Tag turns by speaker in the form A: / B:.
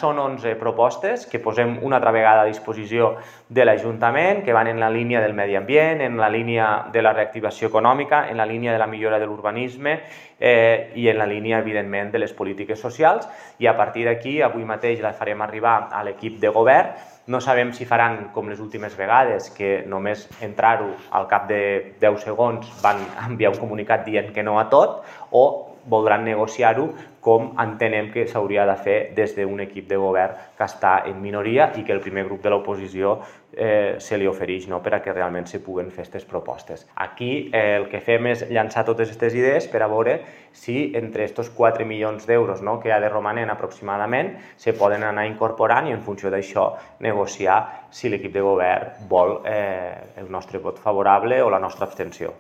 A: Són 11 propostes que posem una altra vegada a disposició de l'Ajuntament, que van en la línia del medi ambient, en la línia de la reactivació econòmica, en la línia de la millora de l'urbanisme i en la línia, evidentment, de les polítiques socials. I a partir d'aquí, avui mateix la farem arribar a l'equip de govern. No sabem si faran com les últimes vegades, que només entrar-ho al cap de 10 segons van enviar un comunicat dient que no a tot, o voldran negociar-ho com entenem que s'hauria de fer des d'un equip de govern que està en minoria i que el primer grup de l'oposició se li ofereix perquè realment se puguen fer aquestes propostes. Aquí el que fem és llançar totes aquestes idees per a veure si entre aquests 4 milions d'euros que ha de romanent aproximadament se poden anar incorporant i en funció d'això negociar si l'equip de govern vol el nostre vot favorable o la nostra abstenció.